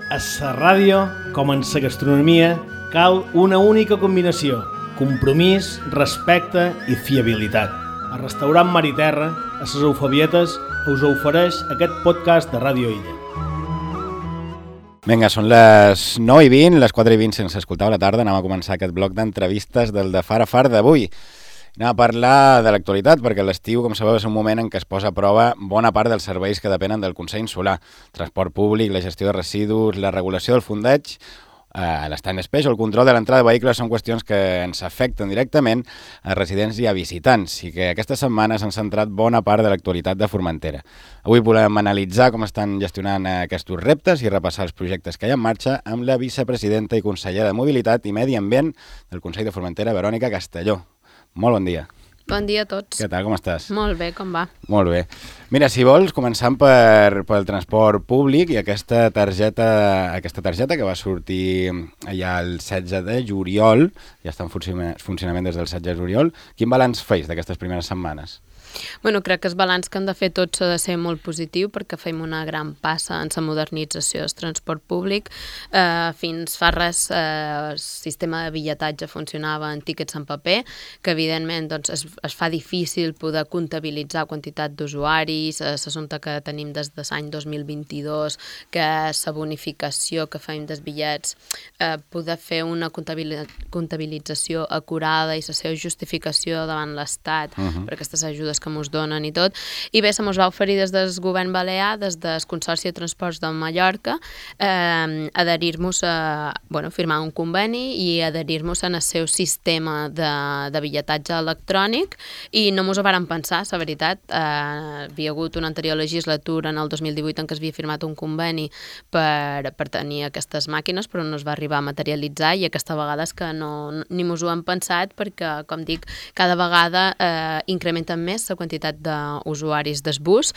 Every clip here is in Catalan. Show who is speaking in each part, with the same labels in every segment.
Speaker 1: A la ràdio, com en la gastronomia, cal una única combinació: compromís, respecte i fiabilitat. El restaurant Mar i Terra, a les Eufabietes, us ofereix aquest podcast de Ràdio Illa.
Speaker 2: Vinga, són les 9:20, les 4:20 sense escoltar a la tarda. Anem a començar aquest bloc d'entrevistes del de Far a Far d'avui. Anem a parlar de l'actualitat, perquè l'estiu, com sabeu, és un moment en què es posa a prova bona part dels serveis que depenen del Consell Insular. Transport públic, la gestió de residus, la regulació del fondeig, l'stand special, el control de l'entrada de vehicles són qüestions que ens afecten directament a residents i a visitants i que aquesta setmana s'han centrat bona part de l'actualitat de Formentera. Avui volem analitzar com estan gestionant aquests reptes i repassar els projectes que hi ha en marxa amb la vicepresidenta i consellera de Mobilitat i Medi Ambient del Consell de Formentera, Verònica Castelló. Molt bon dia.
Speaker 3: Bon dia a tots.
Speaker 2: Què tal, com estàs?
Speaker 3: Molt bé, com va?
Speaker 2: Molt bé. Mira, si vols, començant pel transport públic i aquesta targeta que va sortir ja el 16 de juliol, ja està en funcionament des del 16 de juliol, quin balanç feis d'aquestes primeres setmanes?
Speaker 3: Bueno, crec que el balanç que hem de fer tots ha de ser molt positiu perquè fem una gran passa en la modernització del transport públic. Fins fa res el sistema de bitlletatge funcionava en tíquets en paper, que evidentment doncs, es fa difícil poder comptabilitzar quantitat d'usuaris. L'assumpte que tenim des de l'any 2022, que la bonificació que fem dels bitllets, poder fer una comptabilització acurada i la seva justificació davant l'Estat per aquestes ajudes que ens donen i tot. I bé, se mos va oferir des del govern balear, des del Consorci de Transports de Mallorca, adherir-nos a, firmar un conveni i adherir-nos en el seu sistema de bitlletatge electrònic, i no mos ho vàrem pensar, la veritat. Havia hagut una anterior legislatura, en el 2018, en què es havia firmat un conveni per tenir aquestes màquines, però no es va arribar a materialitzar, i aquesta vegada és que ni mos ho hem pensat, perquè, com dic, cada vegada incrementen més la quantitat d'usuaris del bus.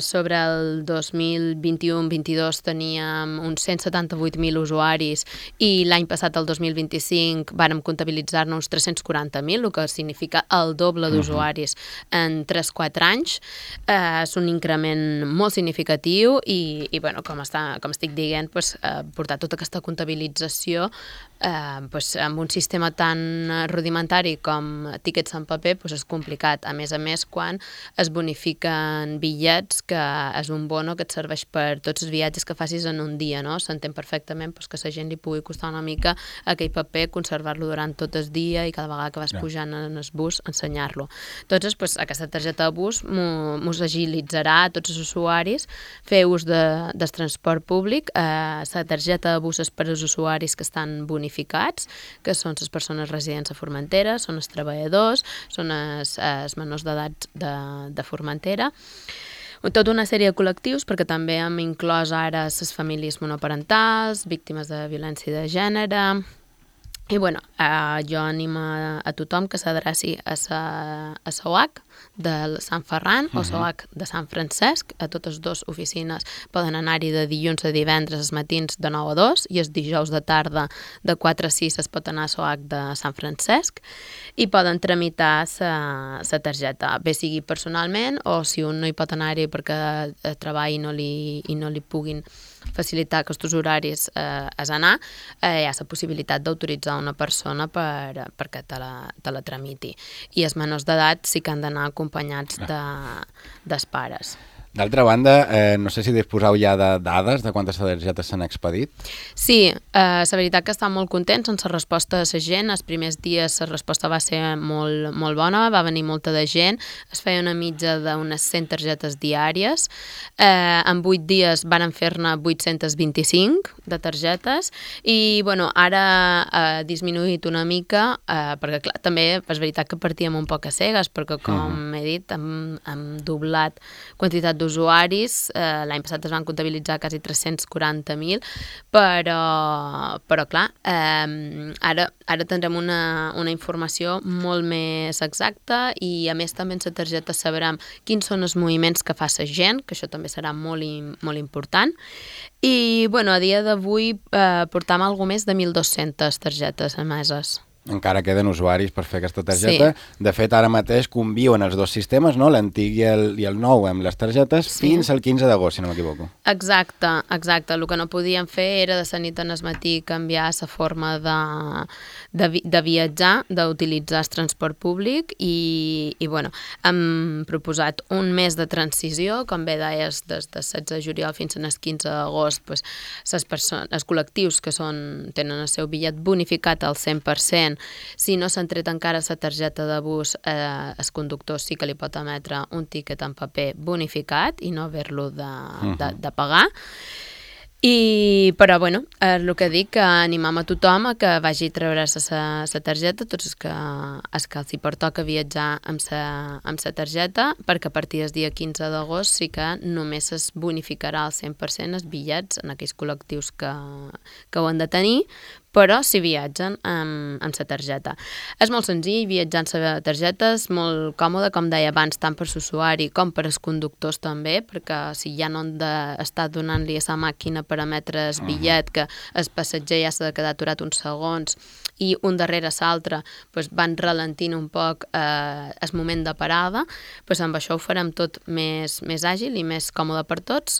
Speaker 3: Sobre el 2021-22 teníem uns 178.000 usuaris i l'any passat, el 2025, vàrem comptabilitzar-ne uns 340.000, el que significa el doble d'usuaris en 3-4 anys. És un increment molt significatiu i com estic dient, portar tota aquesta comptabilització amb un sistema tan rudimentari com tíquets en paper és complicat. A més, quan es bonifiquen bitllets, que és un bono que et serveix per tots els viatges que facis en un dia, no? S'entén perfectament que a la gent li pugui costar una mica aquell paper, conservar-lo durant tot el dia i cada vegada que vas pujant en el bus, ensenyar-lo. Entonces, aquesta targeta de bus mos agilitzarà a tots els usuaris fer ús del transport públic. La targeta de bus és per als usuaris que estan bonificats, que són les persones residents a Formentera, són els treballadors, són els menors d'edat de Formentera. Tota una sèrie de col·lectius, perquè també hem inclòs ara les famílies monoparentals, víctimes de violència de gènere. I jo animo a tothom que s'adreci a la OAC de Sant Ferran o la OAC de Sant Francesc. A totes dues oficines poden anar-hi de dilluns a divendres als matins de 9 a 2 i els dijous de tarda de 4 a 6 es pot anar a la OAC de Sant Francesc i poden tramitar la targeta, bé sigui personalment o si un no hi pot anar-hi perquè treballa i no li puguin facilitar aquests horaris és anar, hi ha la possibilitat d'autoritzar una persona perquè te la tramiti. I els menors d'edat sí que han d'anar acompanyats dels pares.
Speaker 2: D'altra banda, no sé si disposeu ja de dades de quantes targetes s'han expedit.
Speaker 3: Sí, la veritat que estan molt contents amb la resposta de la gent. Els primers dies la resposta va ser molt, molt bona, va venir molta de gent, es feia una mitja d'unes 100 targetes diàries. En 8 dies varen fer-ne 825 de targetes i ara ha disminuït una mica, perquè clar, també és veritat que partíem un poc a cegues, perquè com he dit, hem doblat quantitat d'usuaris. L'any passat es van comptabilitzar quasi 340.000, però clar, ara tindrem una informació molt més exacta i a més també en la targeta sabrem quins són els moviments que fa la gent, que això també serà molt important. I a dia d'avui portam alguna més de 1.200 targetes emeses.
Speaker 2: Encara queden usuaris per fer aquesta targeta. Sí. De fet, ara mateix conviuen els dos sistemes, no? L'antic i el nou amb les targetes, fins al 15 d'agost, si no m'equivoco.
Speaker 3: Exacte. El que no podíem fer era de la nit al matí canviar la forma de viatjar, d'utilitzar el transport públic i bueno, hem proposat un mes de transició, com bé deies, des de 16 de juliol fins al 15 d'agost, doncs, els col·lectius que tenen el seu bitllet bonificat al 100%, si no s'han tret encara la targeta de bus, el conductor sí que li pot emetre un tiquet en paper bonificat i no haver-lo de pagar. Però, bueno, el que dic, que animam a tothom a que vagi a treure-se la targeta, tots els que els hi pertoca viatjar amb la targeta, perquè a partir del dia 15 d'agost sí que només es bonificarà al 100% els bitllets en aquells col·lectius que ho han de tenir, però si viatgen amb la targeta. És molt senzill viatjar amb la targeta, és molt còmode, com deia abans, tant per l'usuari com per als conductors també, perquè si ja no han d'estar donant-li a la màquina per emetre el bitllet, que el passatger ja s'ha de quedar aturat uns segons i un darrere l'altre van ralentint un poc el moment de parada, amb això ho farem tot més àgil i més còmode per tots,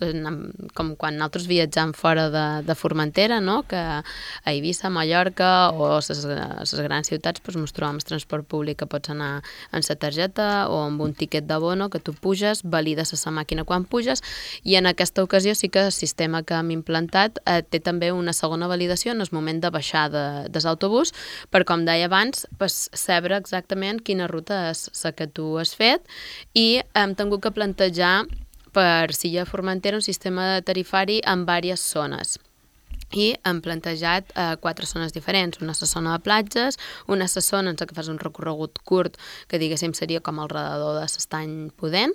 Speaker 3: com quan nosaltres viatjam fora de Formentera, no? Que a Eivissa, a Mallorca o a les grans ciutats ens trobem el transport públic que pots anar amb la targeta o amb un tiquet d'abono que tu puges, valides a la màquina quan puges, i en aquesta ocasió sí que el sistema que hem implantat té també una segona validació en el moment de baixar de l'autobús, per, com deia abans, saber exactament quina ruta és la que tu has fet, i hem tingut que plantejar per Silla Formentera un sistema tarifari en diverses zones. I hem plantejat 4 zones diferents. Una és la zona de platges, una és la zona en què fas un recorregut curt, que diguéssim seria com al redador de l'Estany Pudent.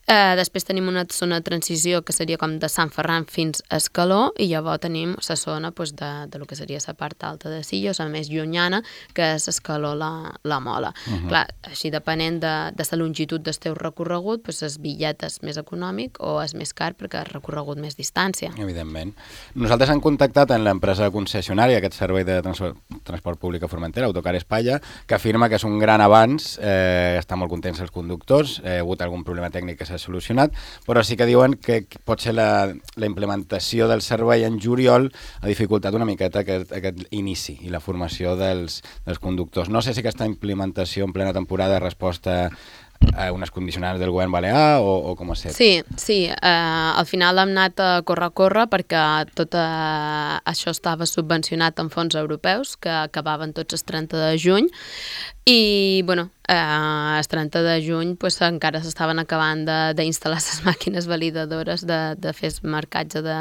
Speaker 3: Després tenim una zona de transició que seria com de Sant Ferran fins a Escaló, i llavors tenim la zona de lo que seria la part alta de Silla, la més llunyana, que és Escaló-la Mola. Clar, així depenent de la longitud del teu recorregut, el bitllet és més econòmic o és més car perquè has recorregut més distància.
Speaker 2: Evidentment. Nosaltres hem contactat amb l'empresa concessionària, aquest servei de transport públic a Formentera, Autocar Espanya, que afirma que és un gran avanç, estan molt contents els conductors, hi ha hagut algun problema tècnic que s'ha solucionat, però sí que diuen que potser la implementació del servei en juliol ha dificultat una miqueta aquest inici i la formació dels conductors. No sé si aquesta implementació en plena temporada és resposta a unes condicionants del govern balear o com ha estat?
Speaker 3: Sí. Al final hem anat a córrer perquè tot això estava subvencionat amb fons europeus que acabaven tots el 30 de juny i, bueno, el 30 de juny encara s'estaven acabant d'instal·lar les màquines validadores de fer el marcatge de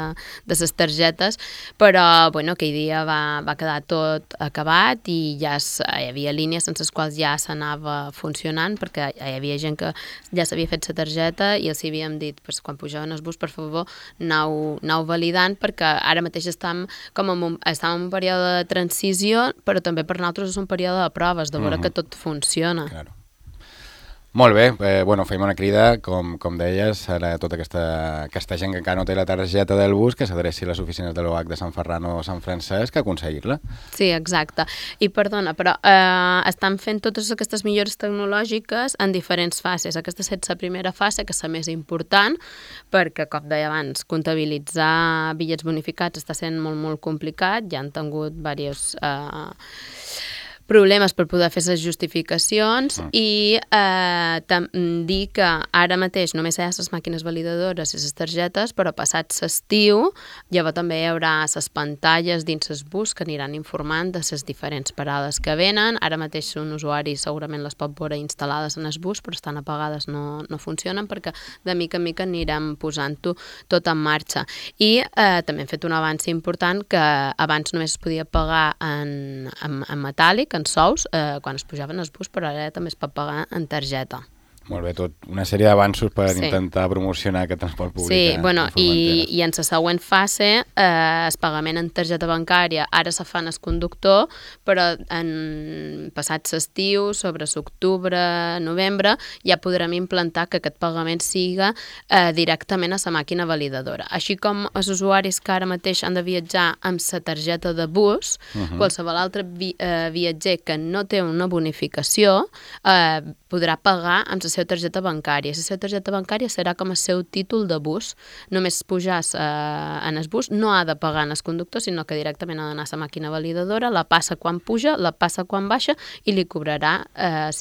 Speaker 3: les targetes, però aquell dia va quedar tot acabat i ja hi havia línies en les quals ja s'anava funcionant, perquè hi havia gent que ja s'havia fet la targeta i els havíem dit, quan pujaven el bus, per favor, anau validant, perquè ara mateix estem en un període de transició, però també per nosaltres és un període de proves, de veure que tot funciona.
Speaker 2: Claro. Molt bé, fem una crida, com deies, a tota aquesta gent que encara no té la targeta del bus, que s'adreci a les oficines de l'OH de Sant Ferran o Sant Francesc a aconseguir-la.
Speaker 3: Sí, exacte. I perdona, però estan fent totes aquestes millores tecnològiques en diferents fases. Aquesta és la primera fase, que és la més important, perquè, com deia abans, comptabilitzar bitllets bonificats està sent molt, molt complicat. Ja han tingut diversos problemes per poder fer les justificacions i dir que ara mateix només hi ha les màquines validadores i les targetes, però passat l'estiu llavors també hi haurà les pantalles dins el bus que aniran informant de les diferents parades que venen. Ara mateix un usuari segurament les pot veure instal·lades en el bus, però estan apagades, no funcionen, perquè de mica en mica anirem posant-ho tot en marxa. I també hem fet un avanç important, que abans només es podia pagar en metàl·lic, en sous, quan es pujaven al bus, però ara també es pot pagar en targeta.
Speaker 2: Molt bé, tot una sèrie d'avanços per intentar promocionar aquest transport públic.
Speaker 3: Sí, bueno, i en la següent fase el pagament en targeta bancària ara se fa en el conductor, però en passat l'estiu, sobre l'octubre, novembre, ja podrem implantar que aquest pagament siga directament a la màquina validadora. Així com els usuaris que ara mateix han de viatjar amb la targeta de bus, qualsevol altre viatger que no té una bonificació podrà pagar amb la seva targeta bancària. La seva targeta bancària serà com el seu títol de bus. Només pujar en el bus no ha de pagar en el conductor, sinó que directament ha d'anar a la màquina validadora, la passa quan puja, la passa quan baixa i li cobrarà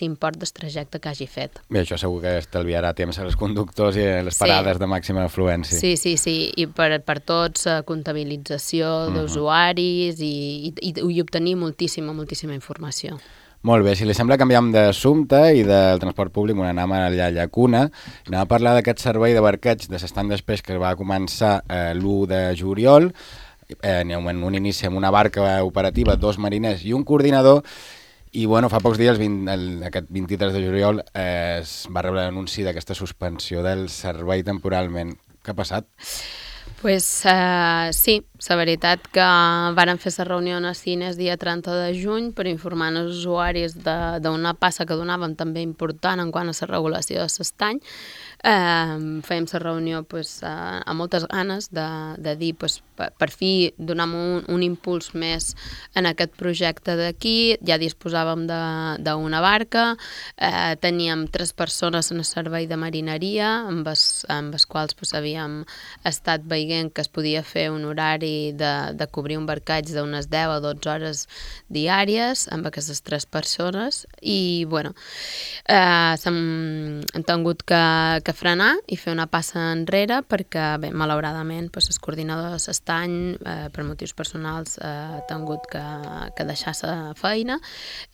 Speaker 3: l'import del trajecte que hagi fet.
Speaker 2: Bé, això segur que estalviarà temps als conductors i les parades de màxima afluència.
Speaker 3: Sí, i per tots comptabilització d'usuaris i obtenir moltíssima informació.
Speaker 2: Molt bé, si li sembla canviam d'assumpte i del transport públic, anem a la llacuna, anem a parlar d'aquest servei de barqueig de l'estany d'espeix que va començar l'1 de juliol, en un inici amb una barca operativa, 2 mariners i un coordinador, i fa pocs dies, aquest 23 de juliol, es va rebre l'anunci d'aquesta suspensió del servei temporalment. Què ha passat?
Speaker 3: Pues sí, la veritat que varen fer la reunió a Cines dia 30 de juny per informar els usuaris d'una passa que donaven també important en quant a la regulació de l'estany. Fèiem la reunió amb moltes ganes de dir per fi donem un impuls més en aquest projecte d'aquí. Ja disposàvem d'una barca, teníem 3 persones en el servei de marineria amb les quals havíem estat veient que es podia fer un horari de cobrir un barcaig d'unes 10 o 12 hores diàries amb aquestes 3 persones i hem tingut que frenar i fer una passa enrere perquè, malauradament, el coordinador de l'estany, per motius personals, ha tingut que deixar la feina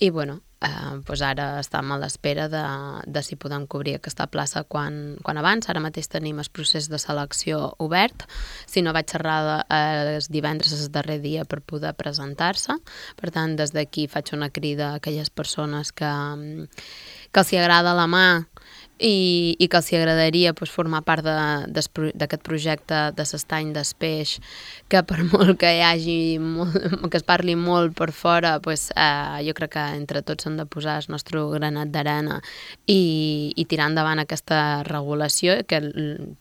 Speaker 3: i, ara estem a l'espera de si podem cobrir aquesta plaça quan abans. Ara mateix tenim el procés de selecció obert. Si no vaig xerrar els divendres el darrer dia per poder presentar-se. Per tant, des d'aquí faig una crida a aquelles persones que els agrada la mà i que els agradaria formar part d'aquest projecte de l'estany d'espeix, que per molt que hi hagi que es parli molt per fora, jo crec que entre tots hem de posar el nostre granat d'arena i tirar endavant aquesta regulació, que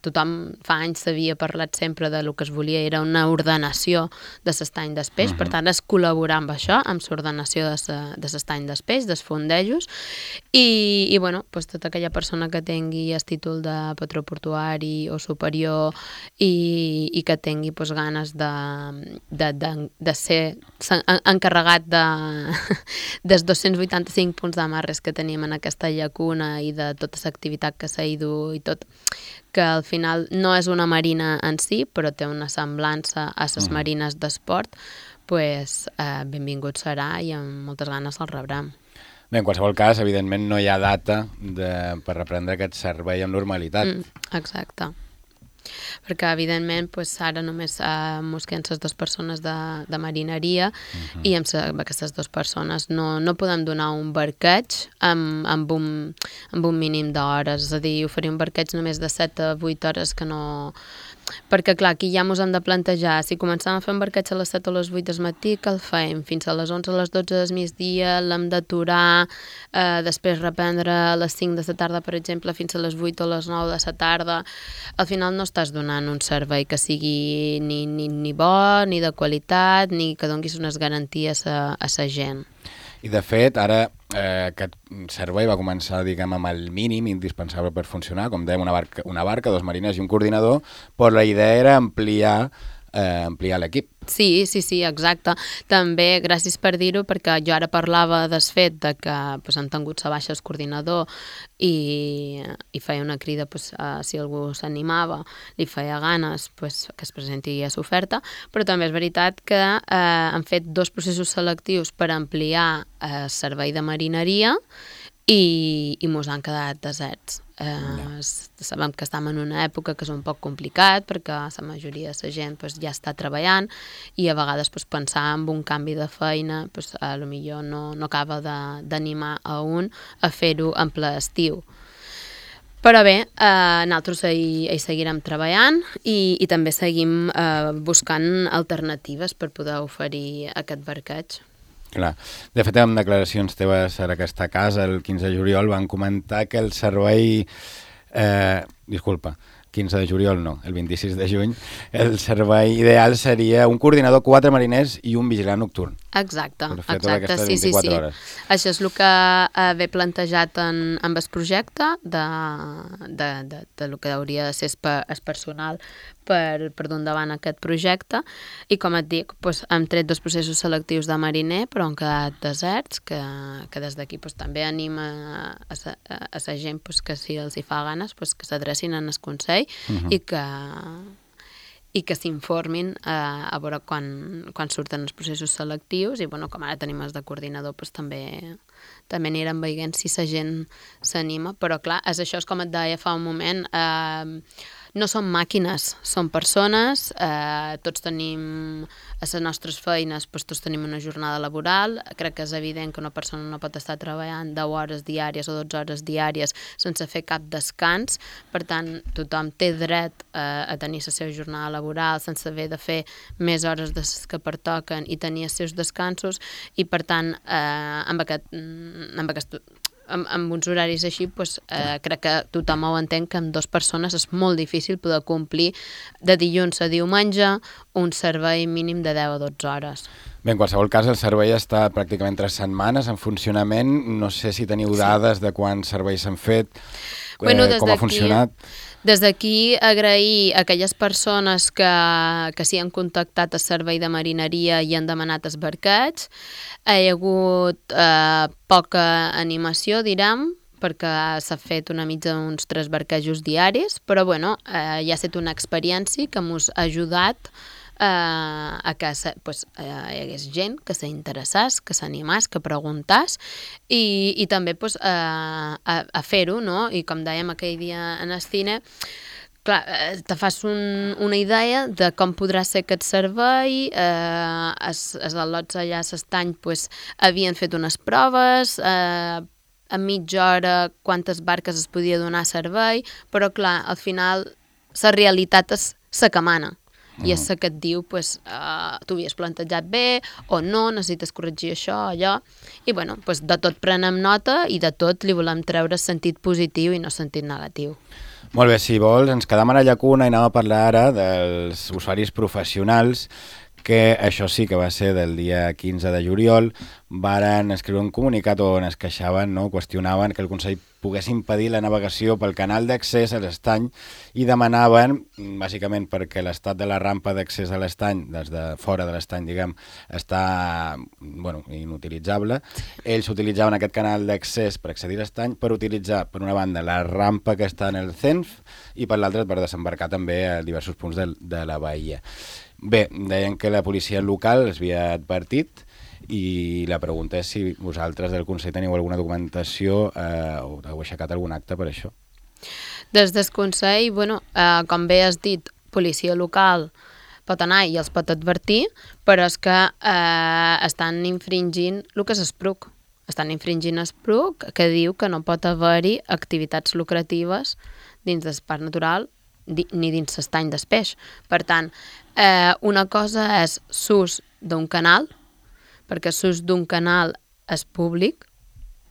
Speaker 3: tothom fa anys s'havia parlat sempre de lo que es volia, era una ordenació de l'estany d'espeix, per tant es col·laborar amb això, amb l'ordenació de l'estany d'espeix, dels fondejos, i tota aquella persona que tingui el títol de patró portuari o superior i que tingui ganes de ser encarregat dels 285 punts d'amarres que tenim en aquesta llacuna i de tota l'activitat que s'ha ido i tot, que al final no és una marina en si, però té una semblança a les marines d'esport, benvingut serà i amb moltes ganes el rebrem.
Speaker 2: Bé, en qualsevol cas, evidentment, no hi ha data per reprendre aquest servei amb normalitat.
Speaker 3: Exacte. Perquè, evidentment, ara només mos queden les 2 persones de marineria i amb aquestes 2 persones no podem donar un barqueig amb un mínim d'hores. És a dir, oferir un barqueig només de 7 a 8 hores que no... Perquè, clar, aquí ja ens hem de plantejar, si comencem a fer un barqueig a les 7 o les 8 del matí, que el fem fins a les 11 o les 12 del migdia, l'hem d'aturar, després reprendre a les 5 de la tarda, per exemple, fins a les 8 o les 9 de la tarda. Al final no estàs donant un servei que sigui ni bo, ni de qualitat, ni que donguis unes garanties a la gent.
Speaker 2: I, de fet, ara aquest servei va començar, amb el mínim indispensable per funcionar, com dèiem, una barca, 2 mariners i un coordinador, però la idea era ampliar l'equip.
Speaker 3: Sí, exacte. També, gràcies per dir-ho, perquè jo ara parlava del fet que han tingut la baixa el coordinador i feia una crida si algú s'animava, li feia ganes que es presenti a l'oferta, però també és veritat que han fet 2 processos selectius per ampliar el servei de marineria i mos han quedat deserts. Sabem que estem en una època que és un poc complicat perquè la majoria de la gent ja està treballant i a vegades pensar en un canvi de feina potser no acaba d'animar a un a fer-ho en ple estiu. Però bé, nosaltres hi seguirem treballant i també seguim buscant alternatives per poder oferir aquest barqueig.
Speaker 2: Clar. De fet, en declaracions teves a aquesta casa, el 15 de juliol, van comentar que el servei... 15 de juliol no, el 26 de juny, el servei ideal seria un coordinador, 4 mariners i un vigilant nocturn.
Speaker 3: Exacte,
Speaker 2: sí. Hores.
Speaker 3: Això és el que ve plantejat en el projecte de lo que hauria de ser el personal per dur endavant aquest projecte i com et dic, hem tret 2 processos selectius de mariner però han quedat deserts que des d'aquí també anima a la gent que si els hi fa ganes que s'adrecin en el Consell i que s'informin a veure quan surten els processos selectius i com ara tenim els de coordinador també anirem veient si la gent s'anima, però clar, això és com et deia fa un moment, no són màquines, són persones, tots tenim a les nostres feines, tots tenim una jornada laboral, crec que és evident que una persona no pot estar treballant 10 hores diàries o 12 hores diàries sense fer cap descans, per tant tothom té dret a tenir la seva jornada laboral sense haver de fer més hores de les que pertoquen i tenir els seus descansos i per tant amb uns horaris així, crec que tothom ho entén que amb 2 persones és molt difícil poder complir de dilluns a diumenge un servei mínim de 10 a 12 hores.
Speaker 2: Bé, en qualsevol cas, el servei està pràcticament 3 setmanes en funcionament. No sé si teniu dades de quants serveis s'han fet, com ha funcionat.
Speaker 3: Des d'aquí agrair a aquelles persones que s'hi han contactat al servei de marineria i han demanat els barquets. Hi ha hagut poca animació, direm, perquè s'ha fet una mitja d'uns 3 barquejos diaris, però ja ha estat una experiència que ens ha ajudat a que hi hagués gent que s'interessés, que s'animés, que preguntàs i també a fer-ho, no? I com dèiem aquell dia en el cine, clar, te fas una idea de com podrà ser aquest servei, els al·lots allà a l'estany havien fet unes proves, a mitja hora quantes barques es podia donar servei, però clar, al final la realitat és la que mana. I és que et diu, t'ho havies plantejat bé o no, necessites corregir això, allò. I de tot prenem nota i de tot li volem treure sentit positiu i no sentit negatiu.
Speaker 2: Molt bé, si vols, ens quedam a la llacuna i anem a parlar ara dels usuaris professionals, que això sí que va ser del dia 15 de juliol, varen escriure un comunicat on es queixaven, qüestionaven que el Consell pogués impedir la navegació pel canal d'accés a l'estany i demanaven, bàsicament perquè l'estat de la rampa d'accés a l'estany, des de fora de l'estany, està inutilitzable. Ells utilitzaven aquest canal d'accés per accedir a l'estany per utilitzar, per una banda, la rampa que està en el CENF i per l'altra per desembarcar també a diversos punts de la bahia. Bé, deien que la policia local es havia advertit i la pregunta és si vosaltres del Consell teniu alguna documentació o heu aixecat algun acte per això.
Speaker 3: Des del Consell, com bé has dit, policia local pot anar i els pot advertir, però és que estan infringint el que és SPRUC. Estan infringint SPRUC, que diu que no pot haver-hi activitats lucratives dins del parc natural ni dins l'estany del peix. Per tant, una cosa és l'ús d'un canal, perquè l'ús d'un canal és públic,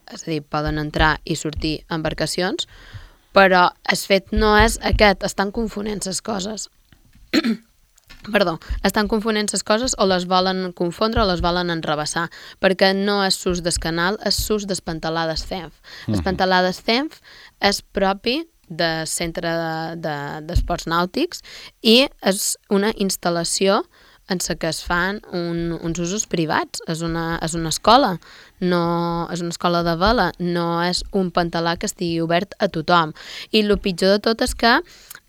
Speaker 3: és a dir, poden entrar i sortir embarcacions, però el fet no és aquest, estan confonent les coses. Estan confonent les coses o les volen confondre o les volen enrebaçar, perquè no és l'ús del canal, és l'ús del pantalà del CENF. El pantalà del CENF és propi del Centre d'Esports Nàutics i és una instal·lació en la que es fan uns usos privats. És una escola, no és una escola de vela, no és un pantalà que estigui obert a tothom. I el pitjor de tot és que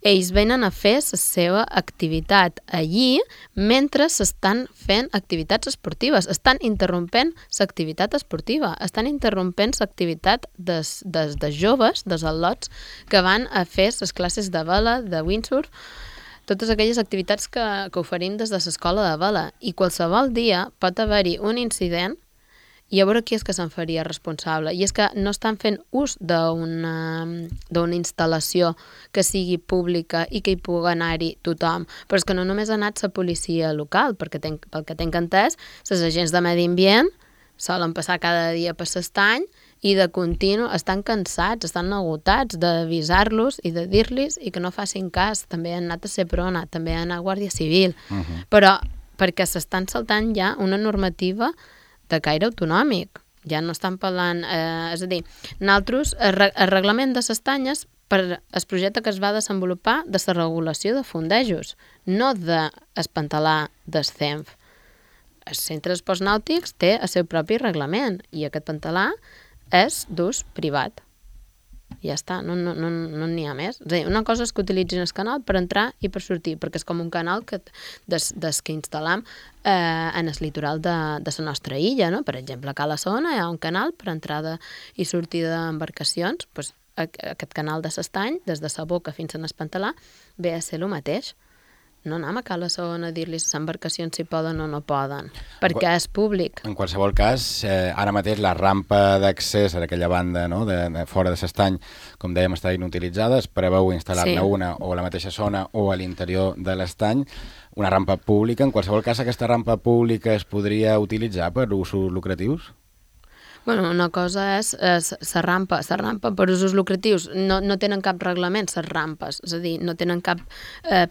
Speaker 3: ells venen a fer la seva activitat allí mentre s'estan fent activitats esportives. Estan interrompent l'activitat esportiva, estan interrompent l'activitat dels joves, dels al·lots, que van a fer les classes de vela, de windsurf, totes aquelles activitats que oferim des de l'escola de vela. I qualsevol dia pot haver-hi un incident i a veure qui és que se'n faria responsable. I és que no estan fent ús d'una instal·lació que sigui pública i que hi pugui anar-hi tothom. Però és que no només ha anat la policia local, perquè pel que tinc entès, les agents de medi ambient solen passar cada dia per l'estany i de continu estan cansats, estan agotats d'avisar-los i de dir-los i que no facin cas. També han anat a Seprona, també han anat a Guàrdia Civil. Però perquè s'estan saltant ja una normativa de caire autonòmic. Ja no estan parlant... és a dir, nosaltres, el reglament de les tanyes, per el projecte que es va desenvolupar de la regulació de fondejos, no d'espantalar del CENF. Els centres d'esports nàutics té el seu propi reglament i aquest pantalà és d'ús privat. Ja està, no n'hi ha més. És a dir, una cosa és que utilitzin el canal per entrar i per sortir, perquè és com un canal des que instal·lam en el litoral de la nostra illa, no? Per exemple, a Cala Sona hi ha un canal per entrada i sortida d'embarcacions. Pues, aquest canal de l'estany, des de la boca fins a l'Espantalà, ve a ser el mateix. No anem a Cala Sona a dir-li les embarcacions si poden o no poden, perquè és públic.
Speaker 2: En qualsevol cas, ara mateix la rampa d'accés a aquella banda, no, de fora de l'estany, com dèiem, està inutilitzada, es preveu instal·lar-ne una o a la mateixa zona o a l'interior de l'estany, una rampa pública. En qualsevol cas, aquesta rampa pública es podria utilitzar per usos lucratius?
Speaker 3: Bueno, una cosa és la rampa per usos lucratius. No tenen cap reglament, les rampes, és a dir, no tenen cap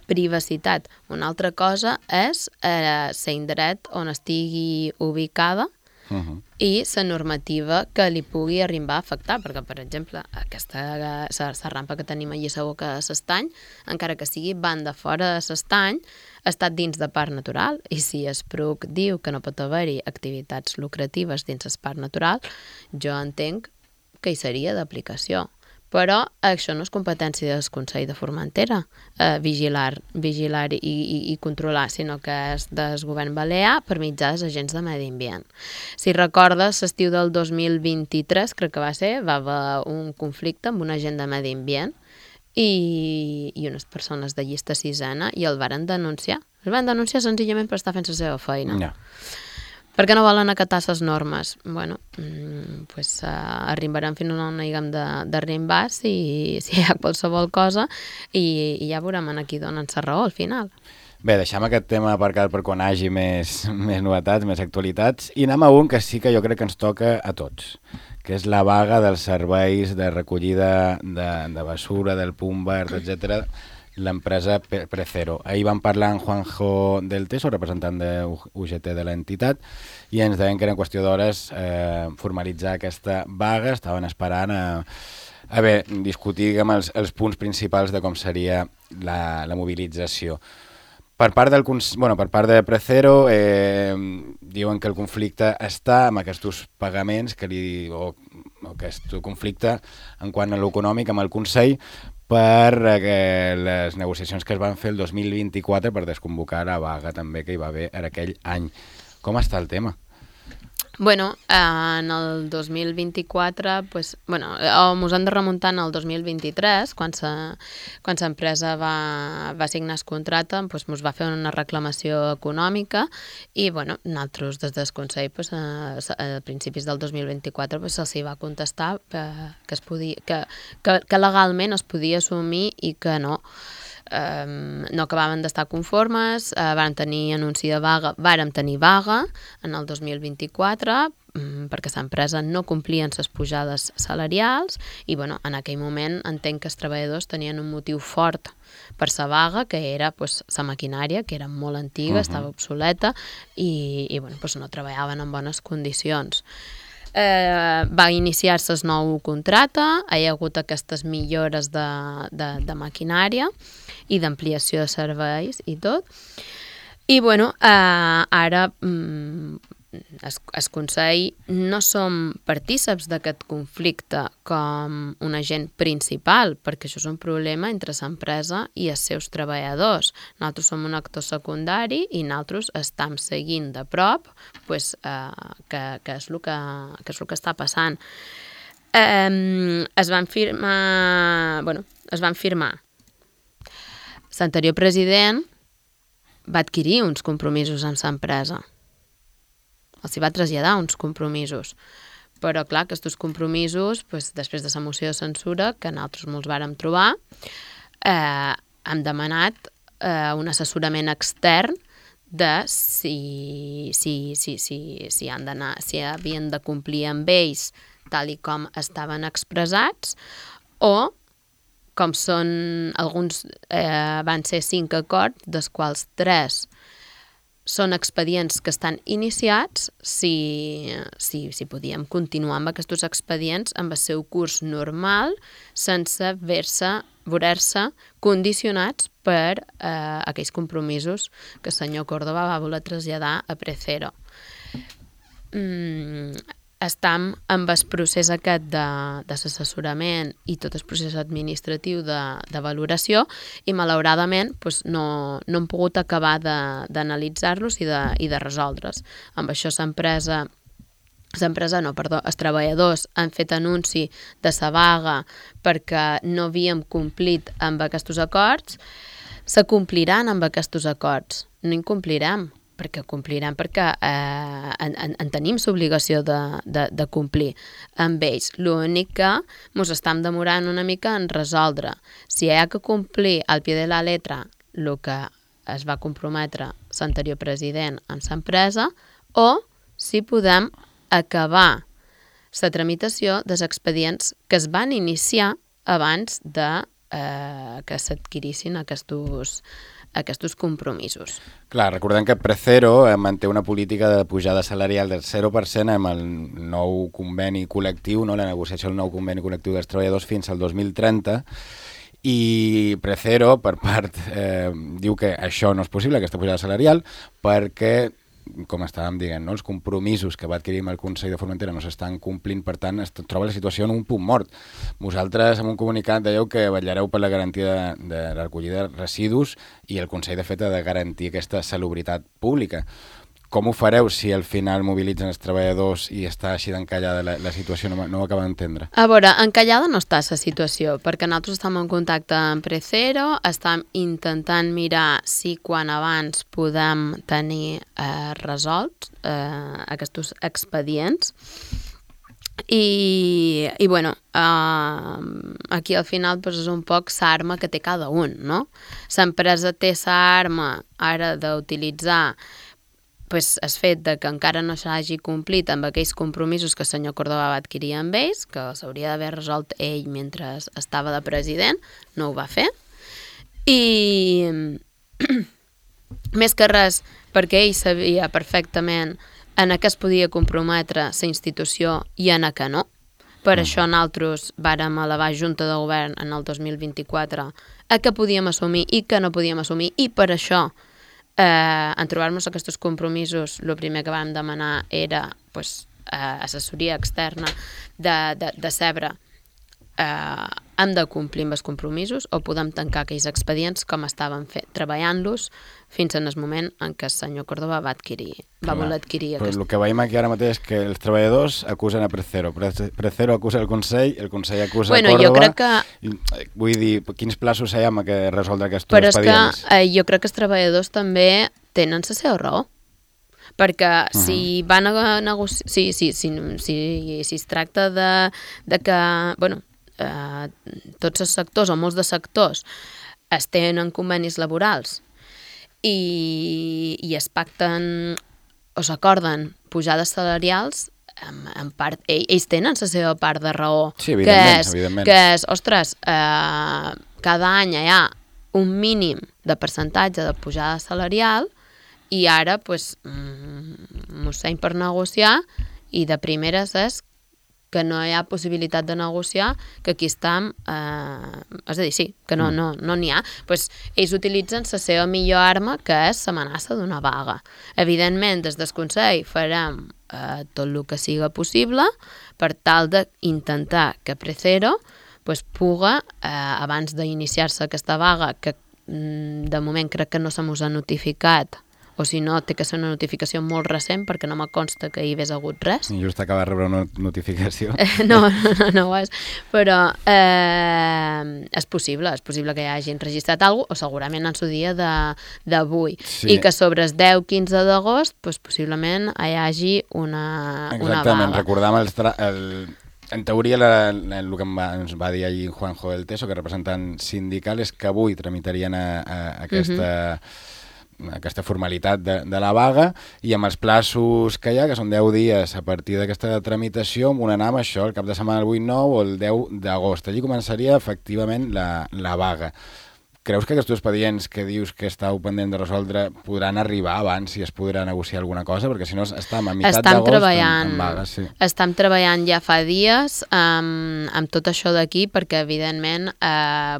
Speaker 3: privacitat. Una altra cosa és l'indret on estigui ubicada i la normativa que li pugui arribar a afectar, perquè, per exemple, la rampa que tenim allà a la boca de l'estany, encara que sigui banda fora de l'estany, ha estat dins de parc natural, i si el PRUC diu que no pot haver-hi activitats lucratives dins el parc natural, jo entenc que hi seria d'aplicació. Però això no és competència del Consell de Formentera, vigilar i controlar, sinó que és del govern balear per mitjà dels agents de medi ambient. Si recordes, l'estiu del 2023, crec que va haver un conflicte amb un agent de medi ambient i unes persones de llista sisena i el varen denunciar. El van denunciar senzillament per estar fent la seva feina.
Speaker 2: No.
Speaker 3: Perquè no volen acatar les normes. Bueno, pues, arribarem fins on hàgim d'arribar si hi ha qualsevol cosa i ja veurem a qui donen la raó al final.
Speaker 2: Bé, deixem aquest tema aparcat per quan hagi més novetats, més actualitats, i anem a un que sí que jo crec que ens toca a tots, que és la vaga dels serveis de recollida de basura, del punt verd, etc., l'empresa Precero. Ahir vam parlar amb Juanjo del Teso, representant de UGT de l'entitat, i ens deien que era qüestió d'hores formalitzar aquesta vaga. Estaven esperant a discutir els punts principals de com seria la mobilització. Per part de Precero, diuen que el conflicte està amb aquests pagaments o aquest conflicte en quant a l'econòmic amb el Consell per les negociacions que es van fer el 2024 per desconvocar la vaga també que hi va haver en aquell any. Com està el tema?
Speaker 3: Bueno, en el 2024, pues, mos hem de remuntar en el 2023, quan l'empresa va signar el contracte, pues, mos va fer una reclamació econòmica i, nosaltres des del Consell, pues, a principis del 2024, pues, se'ls va contestar que legalment es podia assumir i que no. No acabaven d'estar conformes, vàrem tenir anunci de vaga, vàrem tenir vaga en el 2024 perquè l'empresa no complien les pujades salarials i en aquell moment entenc que els treballadors tenien un motiu fort per la vaga, que era la maquinària, que era molt antiga, estava obsoleta i no treballaven en bones condicions. Va iniciar-se el nou contracte, hi ha hagut aquestes millores de maquinària i d'ampliació de serveis i tot. I ara el Consell no som partíceps d'aquest conflicte com un agent principal, perquè això és un problema entre l'empresa i els seus treballadors. Nosaltres som un actor secundari i nosaltres estem seguint de prop que és el que està passant. Es van firmar. L'anterior president va adquirir uns compromisos amb l'empresa. els hi va traslladar uns compromisos. Però, clar, aquests compromisos, després de la moció de censura, que nosaltres molts vàrem trobar, hem demanat un assessorament extern de si havien de complir amb ells tal i com estaven expressats, o com són alguns, van ser 5 acords, dels quals 3 són expedients que estan iniciats, si podíem continuar amb aquests expedients amb el seu curs normal, sense veure-se condicionats per aquells compromisos que el senyor Córdoba va voler traslladar a Precero. Estem amb el procés aquest d'assessorament i tot el procés administratiu de valoració i malauradament no hem pogut acabar d'analitzar-los i de resoldre's. Amb això els treballadors han fet anunci de la vaga perquè no havíem complit amb aquests acords. Se compliran amb aquests acords, no incomplirem, perquè complirem, perquè en tenim l'obligació de complir amb ells. L'únic que ens estem demorant una mica en resoldre si hi ha que complir al pie de la letra el que es va comprometre l'anterior president amb l'empresa, o si podem acabar la tramitació dels expedients que es van iniciar abans de que s'adquirissin aquests compromisos.
Speaker 2: Clar, recordem que Precero manté una política de pujada salarial del 0% amb el nou conveni col·lectiu, no? La negociació del nou conveni col·lectiu dels treballadors fins al 2030, i Precero, per part, diu que això no és possible, aquesta pujada salarial, perquè, com estàvem dient, no? Els compromisos que va adquirir amb el Consell de Formentera no s'estan complint, per tant es troba la situació en un punt mort. Vosaltres en un comunicat dèieu que vetllareu per la garantia de la recollida de residus i el Consell de fet ha de garantir aquesta salubritat pública. Com ho fareu si al final mobilitzen els treballadors i està així d'encallada la situació? No ho acabo d'entendre.
Speaker 3: A veure, encallada no està la situació, perquè nosaltres estem en contacte amb Precero, estem intentant mirar si quan abans podem tenir resolts aquests expedients. I bueno, aquí al final és un poc l'arma que té cada un, no? L'empresa té l'arma ara d'utilitzar el fet que encara no s'hagi complit amb aquells compromisos que el senyor Córdoba va adquirir amb ells, que s'hauria d'haver resolt ell mentre estava de president, no ho va fer. I més que res, perquè ell sabia perfectament en què es podia comprometre la institució i en què no. Per això nosaltres vàrem elevar Junta de Govern en el 2024 a què podíem assumir i què no podíem assumir, i per això en trobar-nos aquests compromisos el primer que vam demanar era assessoria externa de saber hem de complir amb els compromisos o podem tancar aquells expedients com estàvem treballant-los fins en el moment en què el senyor Córdoba va voler adquirir
Speaker 2: aquest. El que veiem aquí ara mateix és que els treballadors acusen a Precero, Precero acusa el Consell acusa a Córdoba.
Speaker 3: Jo crec que...
Speaker 2: Vull dir, quins plaços hi ha que resoldre aquests
Speaker 3: Però
Speaker 2: expedients?
Speaker 3: és que jo crec que els treballadors també tenen la seva raó. Perquè si van a negociar... Si es tracta de que... tots els sectors o molts de sectors es tenen convenis laborals i es pacten o s'acorden pujades salarials, en part, ells tenen la seva part de raó.
Speaker 2: Sí, evidentment.
Speaker 3: Que és, ostres, cada any hi ha un mínim de percentatge de pujada salarial i ara, mosseny per negociar, i de primeres és que no hi ha possibilitat de negociar, que aquí estem... és a dir, sí, que no n'hi ha. Ells utilitzen la seva millor arma, que és l'amenaça d'una vaga. Evidentment, des del Consell farem tot el que siga possible per tal d'intentar que Precero puga, abans d'iniciar-se aquesta vaga, que de moment crec que no se mos ha notificat o si no, té que ser una notificació molt recent perquè no me consta que hi hagués hagut res.
Speaker 2: I just acaba de rebre una notificació.
Speaker 3: No ho és, però és possible que hi hagin registrat alguna cosa, o segurament en su dia d'avui, i que sobre el 10-15 d'agost possiblement hi hagi una vaga.
Speaker 2: Exactament, recordàvem en teoria el que ens va dir ahir Juanjo del Teso, que representant sindical, és que avui tramitarien aquesta formalitat de la vaga, i amb els plaços que hi ha, que són 10 dies a partir d'aquesta tramitació, amb un anar amb això, el cap de setmana del 8-9 o el 10 d'agost. Allí començaria efectivament la vaga. Creus que aquests expedients que dius que estàu pendent de resoldre podran arribar abans si es podrà negociar alguna cosa? Perquè si no estem a meitat d'agost en vaga. Sí.
Speaker 3: Estem treballant ja fa dies amb tot això d'aquí perquè, evidentment, ja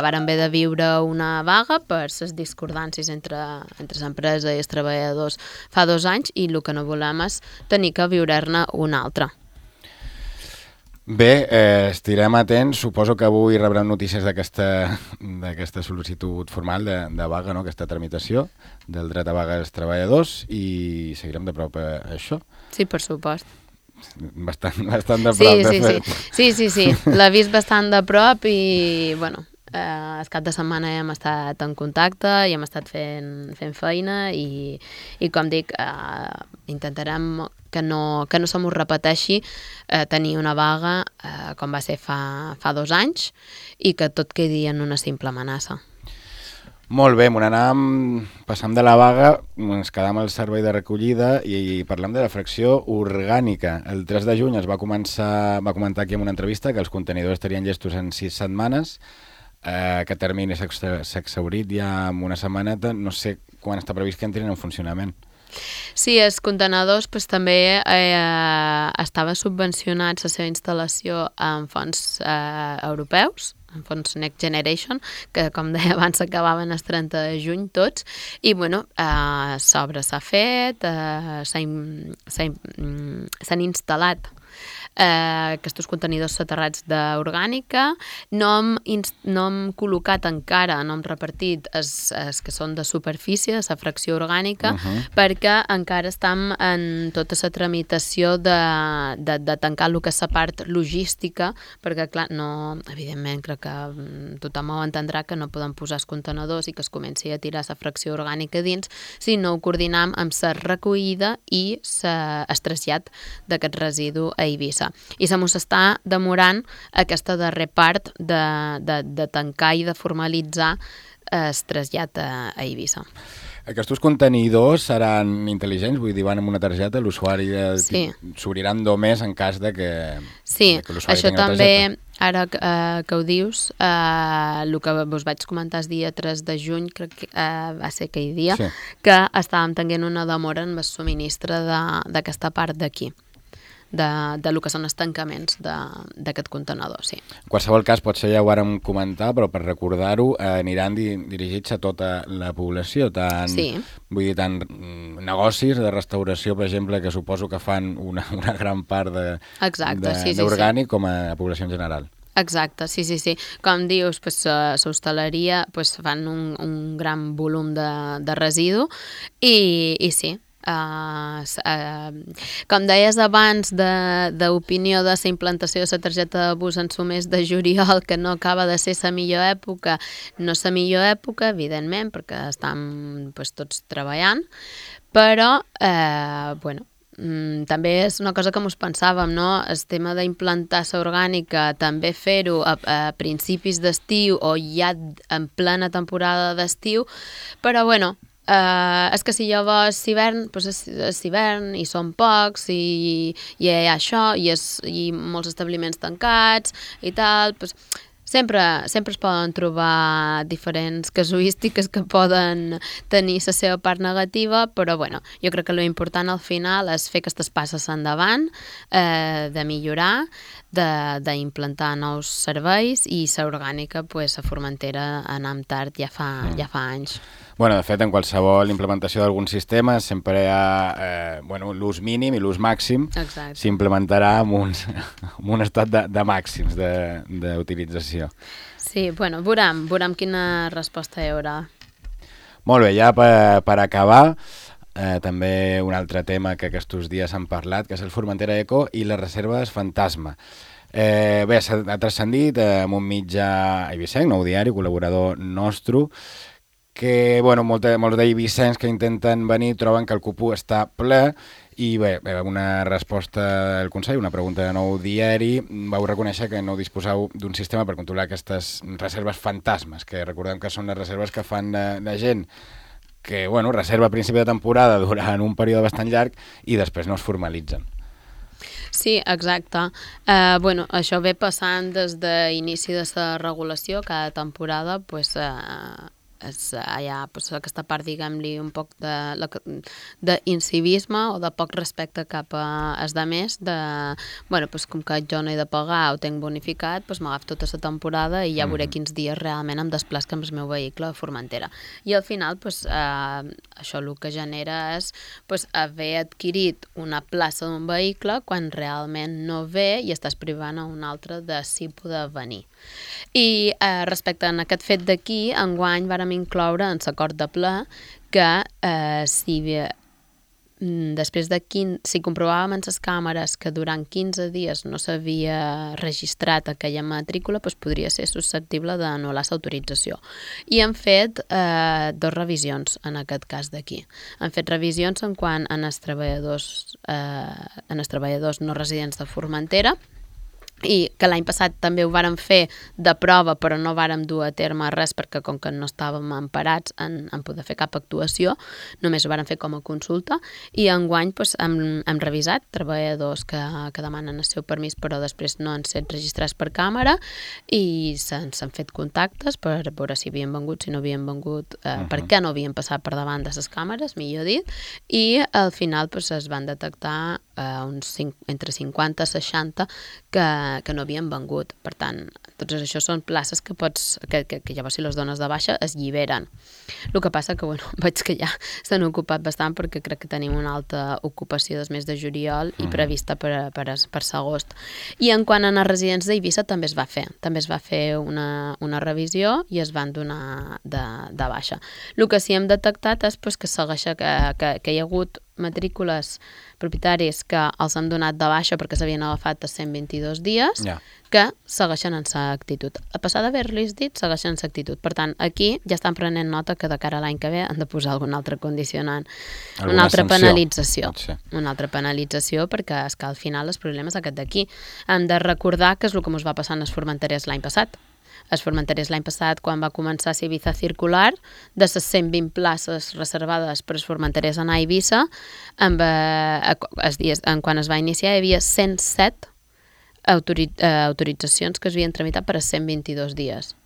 Speaker 3: varen haver de viure una vaga per les discordàncies entre l'empresa i els treballadors fa 2 anys, i el que no volem és tenir que viure-ne una altra.
Speaker 2: Bé, estirem atents. Suposo que avui rebrem notícies d'aquesta sol·licitud formal de vaga, no? Aquesta tramitació del dret a vaga dels treballadors, i seguirem de prop això.
Speaker 3: Sí, per supost.
Speaker 2: Bastant de prop, de fet.
Speaker 3: Sí. L'he vist bastant de prop i, bueno, el cap de setmana hem estat en contacte i hem estat fent feina i com dic, intentarem que no se m'ho repeteixi tenir una vaga com va ser fa 2 anys i que tot quedi en una simple amenaça.
Speaker 2: Molt bé, passam de la vaga, ens quedam al servei de recollida i parlem de la fracció orgànica. El 3 de juny va comentar aquí en una entrevista que els contenidors estarien llestos en 6 setmanes, que termini s'ha exhaurit ja en una setmaneta. No sé quan està previst que entrin en funcionament.
Speaker 3: Sí, els contenedors també estava subvencionats la seva instal·lació en fons europeus, en fons Next Generation, que com deia abans s'acabaven el 30 de juny tots, i bueno, s'obra s'ha fet, s'han instal·lat aquests contenidors soterrats d'orgànica. No hem col·locat encara, no hem repartit els que són de superfície, de la fracció orgànica, perquè encara estem en tota la tramitació de tancar el que és la part logística, perquè clar, evidentment crec que tothom ho entendrà que no podem posar els contenidors i que es comenci a tirar la fracció orgànica dins si no ho coordinam amb la recollida i el trasllat d'aquest residu a Eivissa. I se mos està demorant aquesta darrera part de tancar i de formalitzar el trasllat a Eivissa.
Speaker 2: Aquests contenidors seran intel·ligents? Vull dir, van amb una targeta, l'usuari s'obriran només en cas de que l'usuari
Speaker 3: això
Speaker 2: tingui la
Speaker 3: també,
Speaker 2: targeta.
Speaker 3: ara que ho dius, el que us vaig comentar el dia 3 de juny, crec que va ser aquell dia, que estàvem tenint una demora en el subministre d'aquesta part d'aquí, de lo que són els tancaments d'aquest contenedor, sí.
Speaker 2: En qualsevol cas, potser ja ho vàrem comentar, però per recordar-ho, aniran dirigits a tota la població, vull dir, tant negocis de restauració, per exemple, que suposo que fan una gran part d'orgànic, com a població en general.
Speaker 3: Exacte, sí. Com dius, l'hostaleria fan un gran volum de residu i sí, com deies abans d'opinió de la implantació de la targeta de bus en el mes de juliol, que no acaba de ser la millor època, no és la millor època, evidentment, perquè estem tots treballant, però també és una cosa que mos pensàvem, no? El tema d'implantar la orgànica, també fer-ho a principis d'estiu o ja en plena temporada d'estiu, però és que si llavors hivern, és hivern i són pocs i hi ha això i molts establiments tancats i tal, sempre es poden trobar diferents casuístiques que poden tenir la seva part negativa, però jo crec que l'important al final és fer aquestes passes endavant, de millorar, d'implantar nous serveis, i la orgànica, a Formentera anem tard ja fa anys.
Speaker 2: De fet, en qualsevol implementació d'algun sistema sempre hi ha l'ús mínim i l'ús màxim. S'implementarà amb un estat de màxims d'utilització.
Speaker 3: Sí, veurem quina resposta hi haurà.
Speaker 2: Molt bé, ja per acabar, també un altre tema que aquests dies han parlat, que és el Formentera Eco i les reserves fantasma. Bé, ha transcendit amb un mitjà eivissenc, Nou Diari, col·laborador nostre, que molts d'eivissencs que intenten venir troben que el cupú està ple i bé, una resposta del Consell, una pregunta de Nou Diari, vau reconèixer que no disposeu d'un sistema per controlar aquestes reserves fantasmes, que recordem que són les reserves que fan de gent que reserva a principi de temporada durant un període bastant llarg i després no es formalitzen.
Speaker 3: Sí, exacte. Això ve passant des d'inici de la regulació, cada temporada hi ha aquesta part, diguem-li, un poc d'incivisme o de poc respecte cap als altres, com que jo no he de pagar o tenc bonificat, m'agafo tota la temporada i ja veuré quins dies realment em desplaço amb el meu vehicle a Formentera. I al final, això el que genera és haver adquirit una plaça d'un vehicle quan realment no ve i estàs privant a un altre de si poder venir. I respecte a aquest fet d'aquí, enguany vàrem incloure en l'acord de ple que si comprovàvem en les càmeres que durant 15 dies no s'havia registrat aquella matrícula, podria ser susceptible d'anul·lar l'autorització. I hem fet 2 revisions en aquest cas d'aquí. Hem fet revisions en quant a els treballadors no residents de Formentera, i que l'any passat també ho vàrem fer de prova, però no vàrem dur a terme res perquè com que no estàvem emparats en poder fer cap actuació, només ho vàrem fer com a consulta, i enguany hem revisat treballadors que demanen el seu permís però després no han estat registrats per càmera i s'han fet contactes per veure si havien vengut, si no havien vengut, per què no havien passat per davant de les càmeres, millor dit, i al final es van detectar entre 50 i 60 que no havien vengut. Per tant, tots això són places que llavors si les dones de baixa es lliberen. El que passa que veig que ja s'han ocupat bastant perquè crec que tenim una alta ocupació des mes de juliol i prevista per l'agost. I en quant a les residents d'Eivissa també es va fer una revisió i es van donar de baixa. El que sí hem detectat és que segueix que hi ha hagut matrícules propietaris que els han donat de baixa perquè s'havien agafat a 122 dies, que segueixen en sa actitud. A passar d'haver-los dit, segueixen en sa actitud. Per tant, aquí ja estan prenent nota que de cara a l'any que ve han de posar algun altre condicionant, una altra penalització. Una altra penalització perquè és que al final el problema és aquest d'aquí. Hem de recordar que és el que ens va passar en els formenterers l'any passat. Els formenterers l'any passat, quan va començar la Ibiza circular, de les 120 places reservades per als formenterers anar a Eivissa, quan es va iniciar hi havia 107 autoritzacions que es havien tramitat per a 122 dies.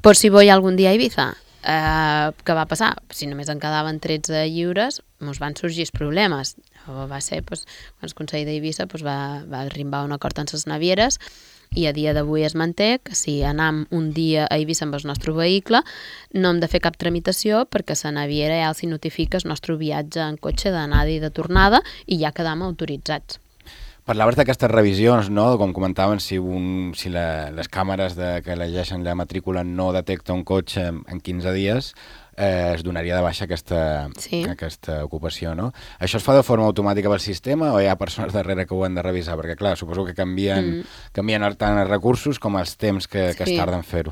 Speaker 3: Per si voy algun dia a Eivissa, què va passar? Si només en quedaven 13 lliures, ens van sorgir els problemes. Va ser, quan el Consell d'Eivissa va arribar a un acord amb les navieres i a dia d'avui es manté que si anem un dia a Eivissa amb el nostre vehicle no hem de fer cap tramitació perquè la naviera ja els notifica el nostre viatge en cotxe d'anada i de tornada i ja quedam autoritzats.
Speaker 2: Parlaves d'aquestes revisions, no? Com comentaven, si les càmeres que elegeixen la matrícula no detecta un cotxe en 15 dies, es donaria de baixa aquesta ocupació, no? Això es fa de forma automàtica pel sistema o hi ha persones darrere que ho han de revisar? Perquè, clar, suposo que canvien tant els recursos com els temps que es tarda en fer-ho.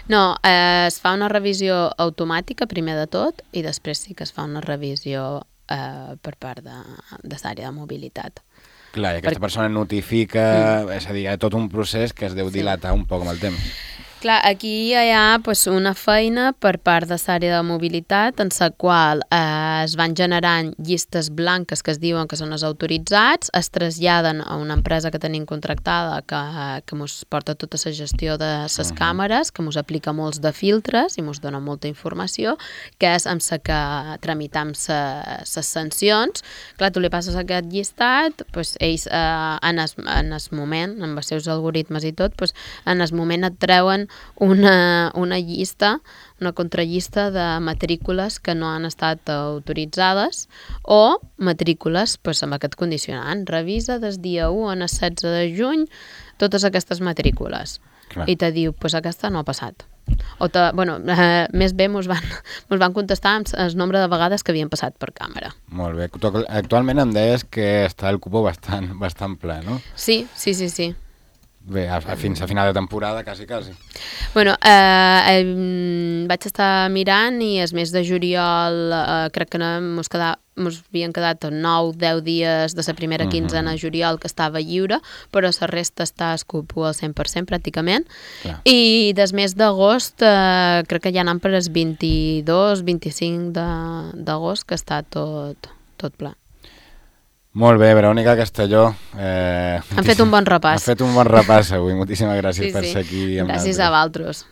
Speaker 3: No, es fa una revisió automàtica, primer de tot, i després sí que es fa una revisió per part de l'àrea de mobilitat.
Speaker 2: Clar, i aquesta persona notifica, és a dir, hi ha tot un procés que es deu dilatar un poc amb el temps.
Speaker 3: Clar, aquí hi ha una feina per part de l'àrea de mobilitat en la qual es van generant llistes blanques que es diuen que són els autoritzats, es traslladen a una empresa que tenim contractada que ens porta tota la gestió de les càmeres, que ens aplica molts de filtres i ens dona molta informació, que és amb la que tramitam les sancions. Clar, tu li passes aquest llistat, ells en el moment, amb els seus algoritmes i tot, en el moment et treuen una llista, una contrallista de matrícules que no han estat autoritzades o matrícules amb aquest condicionant. Revisa des dia 1 al 16 de juny totes aquestes matrícules.
Speaker 2: Clar.
Speaker 3: I te diu, pues aquesta no ha passat. O més bé mos van contestar el nombre de vegades que havien passat per càmera.
Speaker 2: Molt bé. Tu actualment em deies que està el cupó bastant ple, no?
Speaker 3: Sí.
Speaker 2: Bé, fins a final de temporada, quasi.
Speaker 3: Bueno, vaig estar mirant i el mes de juliol crec que mos havien quedat 9-10 dies de la primera quinzena de juliol que estava lliure, però la resta està al cupó al 100% pràcticament. Clar. I des mes d'agost crec que ja anant per el 22-25 d'agost que està tot pla.
Speaker 2: Molt bé, Verònica Castelló.
Speaker 3: Han fet un bon repàs.
Speaker 2: Han fet un bon repàs avui. Moltíssimes gràcies per ser aquí amb
Speaker 3: gràcies a vosaltres.